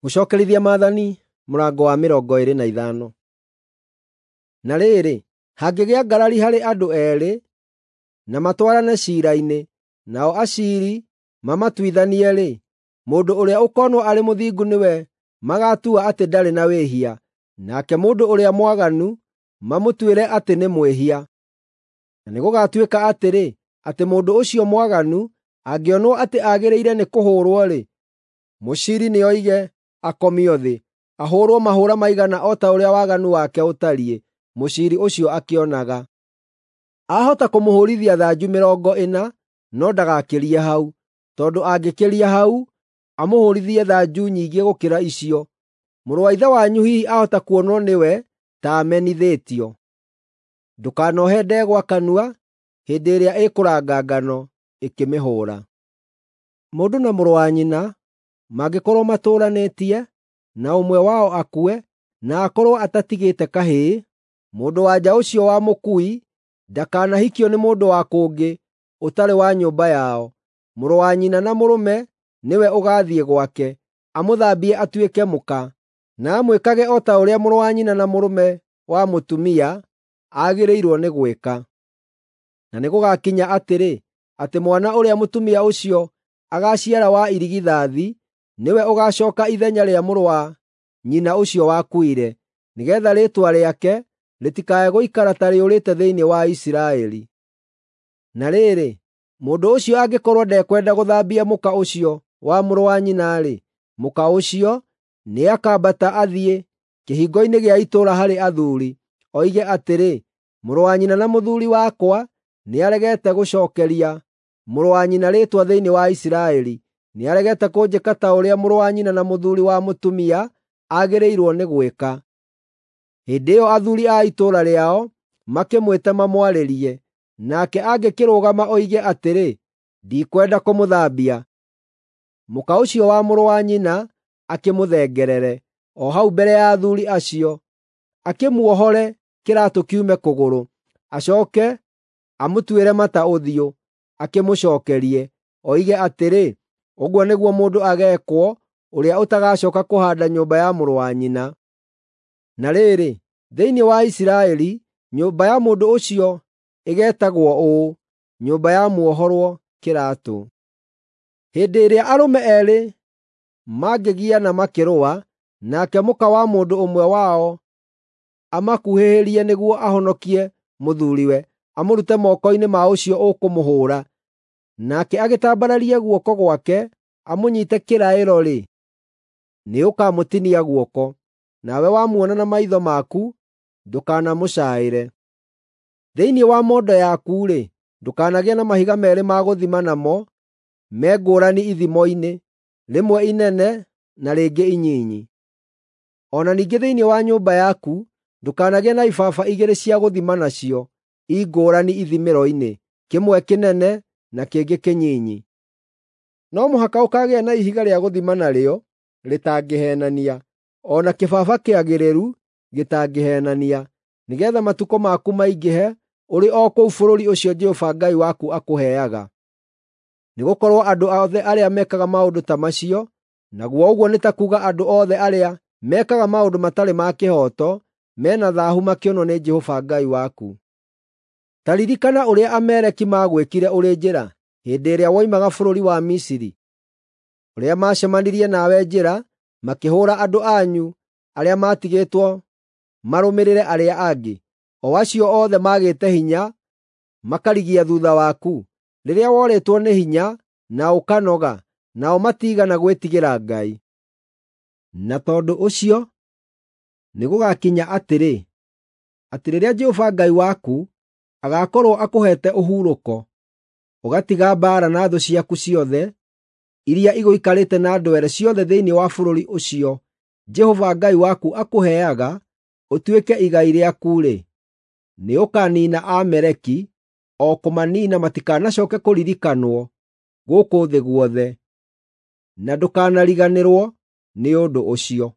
Gũcokerithia Maathani mũrango wa 25. Na rĩrĩ, hangĩgĩa ngarari harĩ andũ eerĩ, na matwarane ciira-inĩ, nao aciiri mamatuithanie-rĩ, mũndũ ũrĩa ũkonwo arĩ mũthingu nĩwe magatua atĩ ndarĩ na wĩhia, nake mũndũ ũrĩa mwaganu mamũtuĩre atĩ nĩ mwĩhia. Na nĩgũgatuĩka atĩrĩ, atĩ mũndũ ũcio mwaganu angĩonwo atĩ agĩrĩire nĩ kũhũũrwo-rĩ, mũciiri nĩoige akomio thĩ, ahũũrwo mahũũra maigana o ta ũrĩa waganu wake ũtariĩ, mũciiri ũcio akĩonaga. Aahota kũmũhũũrithia thanju 40, no ndagakĩrie hau, tondũ angĩkĩria hau, amũhũũrithie thanju nyingĩ gũkĩra icio. Mũrũ wa ithe wanyu hihi ahota kuonwo nĩwe ta amenithĩtio. Ndũkanohe ndegwa kanua hĩndĩ ĩrĩa ĩkũranga ngano ĩkĩmĩhũũra. Mũndũ na mũrũ wa nyina mangĩkorwo matũũranĩtie, na ũmwe wao akue, na akorwo atatigĩte kahĩĩ, mũndũ-wa-nja ũcio wa mũkui ndakanahikio nĩ mũndũ wa kũngĩ ũtarĩ wa nyũmba yao. Mũrũ wa nyina na mũrũme nĩwe ũgaathiĩ gwake, amũthambie atuĩke mũka, na amwĩkage o ta ũrĩa mũrũ wa nyina na mũrũme wa mũtumia agĩrĩirwo nĩ gwĩka. Na nĩgũgakinya atĩrĩ, atĩ mwana ũrĩa mũtumia ũcio agaaciara wa irigithathi nĩwe ũgaacooka ithenya rĩa mũrũ wa nyina ũcio wakuire, nĩgeetha rĩĩtwa rĩake rĩtikae gũikara ta rĩũrĩte thĩinĩ wa Isiraeli. Na rĩrĩ, mũndũ ũcio angĩkorwo ndekwenda gũthambia mũka ũcio wa mũrũ wa nyina-rĩ, mũka ũcio nĩakambata athiĩ kĩhingo-inĩ gĩa itũũra harĩ athuuri, oige atĩrĩ, “Mũrũ wa nyina na mũthuuri wakwa nĩaregete gũcookeria mũrũ wa nyina rĩĩtwa thĩinĩ wa Isiraeli. Nĩaregete kũnjĩka ta ũrĩa mũrũ wa nyina na mũthuuri wa mũtumia agĩrĩirwo nĩ gwĩka.” Hĩndĩ ĩyo athuuri a itũũra rĩao makĩmwĩte mamwarĩrie, nake angĩkĩrũgama oige atĩrĩ, “Ndikwenda kũmũthambia,” mũka ũcio wa mũrũ wa nyina akĩmũthengerere, o hau mbere ya athuuri acio, akĩmuohore kĩraatũ kiume kũgũrũ, acooke amũtuĩre mata ũthiũ, akĩmũcookerie, oige atĩrĩ, “Ũguo nĩguo mũndũ ageekwo ũrĩa ũtagacooka kũhaanda nyũmba ya mũrũ wa nyina.” Na rĩrĩ, thĩinĩ wa Isiraeli, nyũmba ya mũndũ ũcio ĩgeetagwo ũũ, “Nyũmba ya muohorwo kĩraatũ.” Hĩndĩ ĩrĩa arũme eerĩ mangĩgiana makĩrũa, nake mũka wa mũndũ ũmwe wao amakuhĩhĩrie nĩguo ahonokie mũthuuriwe amũrute moko-inĩ ma ũcio ũkũmũhũũra, nake agĩtambararie guoko gwake amũnyiite kĩraĩro-rĩ, nĩũkamũtinia guoko. Nawe wamuona na maitho maku, ndũkanamũcaaĩre. Thĩinĩ wa mondo yaku-rĩ, ndũkanagĩe na mahiga meerĩ ma gũthima namo me ngũrani ithimo-inĩ, rĩmwe inene na rĩngĩ inyinyi. O na ningĩ thĩinĩ wa nyũmba yaku ndũkanagĩe na ibaba igĩrĩ cia gũthima nacio i ngũrani ithimĩro-inĩ, kĩmwe kĩnene na kĩngĩ kĩnyinyi. No mũhaka ũkaagĩa na ihiga rĩa gũthima narĩo rĩtangĩheenania, o na kĩbaba kĩagĩrĩru gĩtangĩheenania, nĩgeetha matukũ maku maingĩhe ũrĩ o kũu bũrũri ũcio Jehova Ngai waku akũheaga. Nĩgũkorwo andũ othe arĩa mekaga maũndũ ta macio, naguo ũguo nĩ ta kuuga andũ othe arĩa mekaga maũndũ matarĩ ma kĩhooto, me na thaahu makĩonwo nĩ Jehova Ngai waku. Ta ririkana ũrĩa Ameleki maagwĩkire ũrĩ njĩra hĩndĩ ĩrĩa woimaga bũrũri wa Misiri, ũrĩa maacemanirie nawe njĩra makĩhũũra andũ anyu arĩa maatigĩtwo marũmĩrĩre arĩa angĩ, o acio othe maagĩte hinya makarigia thuutha waku, rĩrĩa worĩtwo nĩ hinya na ũkanoga, nao matiigana gwĩtigĩra Ngai. Na tondũ ũcio nĩgũgakinya atĩrĩ, atĩ rĩrĩa Jehova Ngai waku agaakorwo akũheete ũhurũko, ũgatiga mbaara na thũ ciaku ciothe iria igũikarĩte na ndwere ciothe thĩinĩ wa bũrũri ũcio Jehova Ngai waku akũheaga ũtuĩke igai rĩaku-rĩ, nĩũkaniina Aameleki, o kũmaniina matikanacooke kũririkanwo gũkũ thĩ guothe, na ndũkanariganĩrwo nĩ ũndũ ũcio.